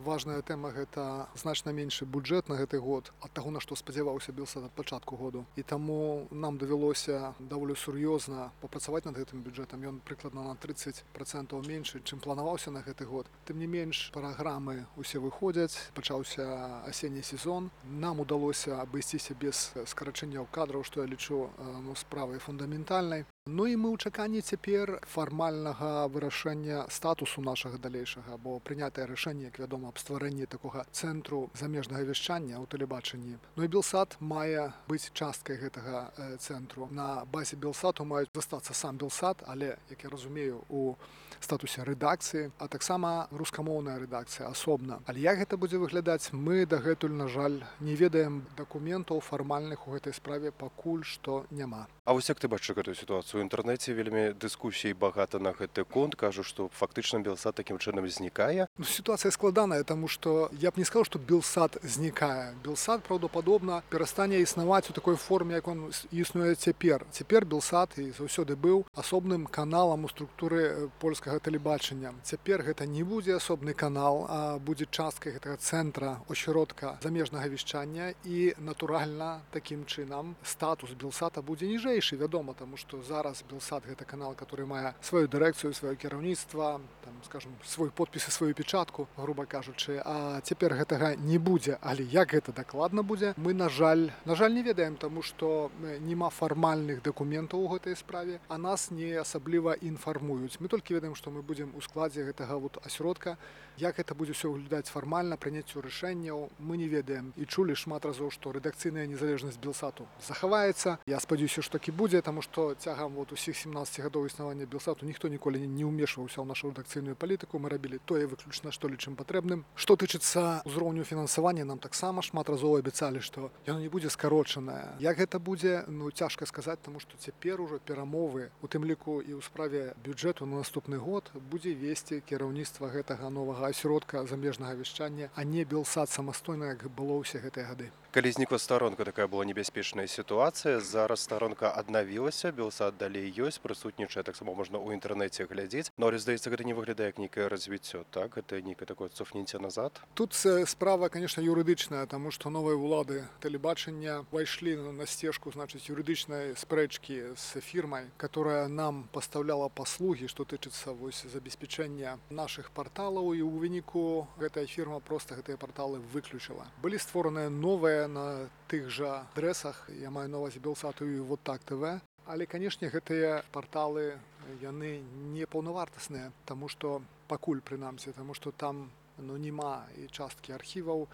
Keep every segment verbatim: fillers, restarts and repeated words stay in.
важная тэма гэта значна меншы бюджэт на гэты год ад таго, на што спадзяваўся Белсат ад пачатку году. І таму нам давялося даволі сур'ёзна папрацаваць над гэтым бюджэтам. Ён прыкладна на трыццаць працэнтаў меншы, чым планаваўся на гэты год. Тым не менш, праграмы ўсе выходзяць, пачаўся асенні сезон. Нам удалося абысціся без скарачэнняў кадраў, што я лічу ну, справай фундаментальнай. Ну і мы ў чаканні цяпер фармальнага вырашэння статусу нашага далейшага, бо прынятае рашэнне, як вядома, аб стварэнні такога цэнтру замежнага вяшчання ў тэлебачанні. Ну і Белсат мае быць часткай гэтага э, цэнтру. На базе Белсату маюць застацца сам Белсат, але, як я разумею, у статусе рэдакцыі, а таксама рускамоўная рэдакцыя асобна. Але як гэта будзе выглядаць, мы дагэтуль, на жаль, не ведаем дакументаў фармальных у гэтай справе пакуль што няма. А вось як ты бачыш гэтую сітуацыю? У інтэрнэце вельмі дыскусій багата на гэты конт. Кажу, што фактычна Белсат такім чынам знікае. Ну, сітуацыя складаная, таму што я б не сказаў, што Белсат знікае. Белсат, праўдападобна, перастане існаваць у такой форме, як он існуе цяпер. Цяпер Белсат і заўсёды быў асобным каналам у структуры польскага тэлебачання. Цяпер гэта не будзе асобны канал, а будзе часткай гэтага цэнтра, ошчыродка замежнага вяшчання і, натуральна, такім чынам статус Белсата будзе ніжэйшы, вядома, таму што зараз Белсат гэта канал, который мае сваю дырэкцыю, сваё кіраўніцтва, там, скажем, свой подпіс і сваю печатку, груба кажучы, а цяпер гэтага не будзе. Але як гэта дакладна будзе, мы, на жаль, на жаль, не ведаем, таму што нема фармальных дакументаў у гэтай справе, а нас не асабліва інфармуюць. Мы толькі ведаем, што мы будзем у складзе гэтага вот асяродка. Як гэта будзе ўсё выглядаць фармальна, прыняццю рашэнняў, мы не ведаем. І чулі шмат разоў, што рэдакцыйная незалежнасць Белсату захаваецца. Я спадзяюся, што так і будзе, таму што цягам вот усіх семнаццаці гадоў існавання Белсату ніхто ніколі не ўмешваўся ў нашу рэдакцыйную палітыку. Мы рабілі тое выключна, што лічым патрэбным. Што тычыцца ўзроўню фінансавання, нам таксама шмат разоў абяцалі, што яно не будзе скарочанае. Як гэта будзе, ну цяжка сказаць, таму што цяпер ужо перамовы, у тым ліку і ў справе бюджэту на наступны год, будзе весці кіраўніцтва гэтага новага асяродка замежнага вяшчання, а не Белсат самастойна, як было ўсе гэтыя гады. Калі знікла старонка, такая была небяспечная сітуацыя. Зараз старонка аднавілася, Белсат далей ёсць, прысутнічае, таксама можна ў інтэрнэце глядзець. Но, здаецца, гэта не выглядае як нейкае развіццё, так? Гэта нейкае такое цофніце назад? Тут справа, конечно, юрыдычная, таму што новыя ўлады тэлебачання ўвайшлі на сцежку, значыць, юрыдычнай спрэчкі з фірмай, которая нам пастаўляла паслугі, што тычыцца вось забеспячэння нашых парталаў, і ў выніку гэтая фірма проста гэтыя парталы выключыла. Былі створаныя новыя на тых жа адрэсах, я маю на ўвазе Белсату і вот так ТВ. Але, канешне, гэтыя парталы, яны не паўнавартасныя, таму што пакуль прынамсі, таму што там ну, няма і часткі архіваў,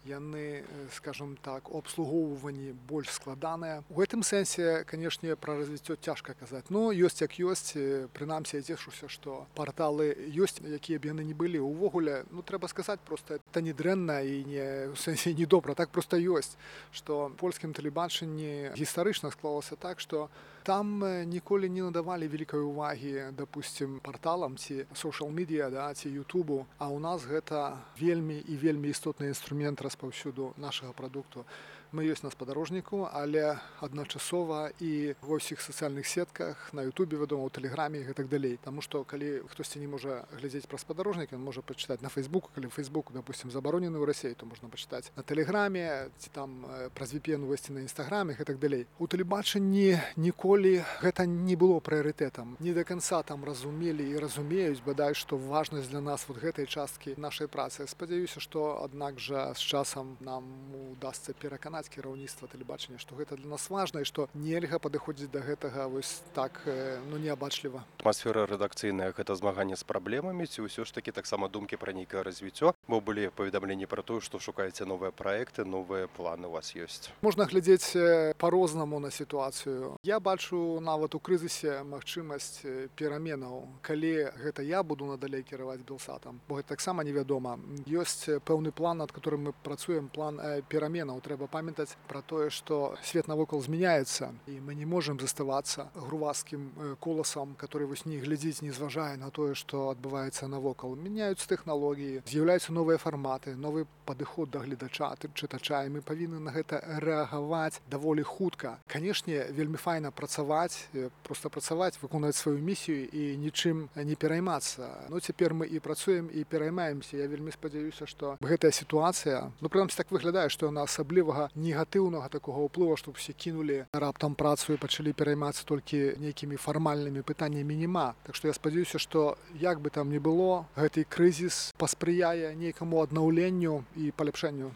яны, скажем так, у абслугоўванні больш складаныя. У гэтым сэнсе, канешне, пра развіццё цяжка казаць. Ну, ёсць як ёсць, прынамсі, я цешуся, што парталы ёсць, якія б яны не былі. Увогуле, ну, трэба сказаць проста, это не дрэнна і не, у сэнсе не добра, так проста ёсць, што польскім тэлебачанні гістарычна склалася так, што там ніколі не надавалі вялікай увагі, допустим, парталам ці социал-медіа, да, ці ютубу, а ў нас гэта вельмі і вельмі істотны інструмент распаўсюду нашага прадукту. Мы ёсць на спадарожніку, але адначасова і ва ўсіх сацыяльных сетках, на ютубе, вядома, у тэлеграме і гэтак далей. Таму што калі хтосьці не можа глядзець праз спадарожнік, ён можа пачытаць на фейсбуку, калі фейсбук, допустим, забаронены ў Расіі, то можна пачытаць на тэлеграме, ці там праз ви пі эн увесці на інстаграме і гэтак далей. У тэлебачанні ніколі гэта не было прыярытэтам. Не да канца там разумелі і разумеюць, бадай, што важнасць для нас вот гэтай часткі нашай працы. Спадзяюся, што аднак жа з часам нам удасца пераканаць кіраўніцтва тэлебачання, што гэта для нас важна і што нельга падыходзіць да гэтага вось так, ну, неабачліва. Атмасфера рэдакцыйная гэта змаганне з праблемамі, ці ўсё ж такі таксама думкі пра нейкае развіццё, бо былі паведамленні пра тое, што шукаеце новыя праекты, новыя планы у вас ёсць. Можна глядзець па-рознаму на сітуацыю. Я бачу нават у крызісе магчымасць пераменаў, калі гэта я буду надалей кіраваць Белсатам, бо гэта таксама невядома. Ёсць пэўны план, над которым мы працуем, план пераменаў. Трэба памятаць, памятаць пра тое, што свет навокал змяняецца і мы не можам заставацца грувасткім э, коласам, который вось не глядзіць, не зважае на тое, што адбываецца навокал. Мяняюцца тэхналогіі, з'яўляюцца новыя фарматы, новы падыход да гледача, ты- чытача, і мы павінны на гэта рэагаваць даволі хутка. Канешне, вельмі файна працаваць, э, проста працаваць, выконваць сваю місію і нічым не пераймацца. Ну цяпер мы і працуем і пераймаемся. Я вельмі спадзяюся, што гэтая сітуацыя, ну прынамсі так выглядае, што яна асаблівага негатыўнага такога ўплыву, што ўсе кінулі раптам працу і пачалі пераймацца толькі нейкімі фармальнымі пытаннямі нема. Так што я спадзяюся, што як бы там ні было, гэты крызіс паспрыяе нейкаму аднаўленню і паляпшэнню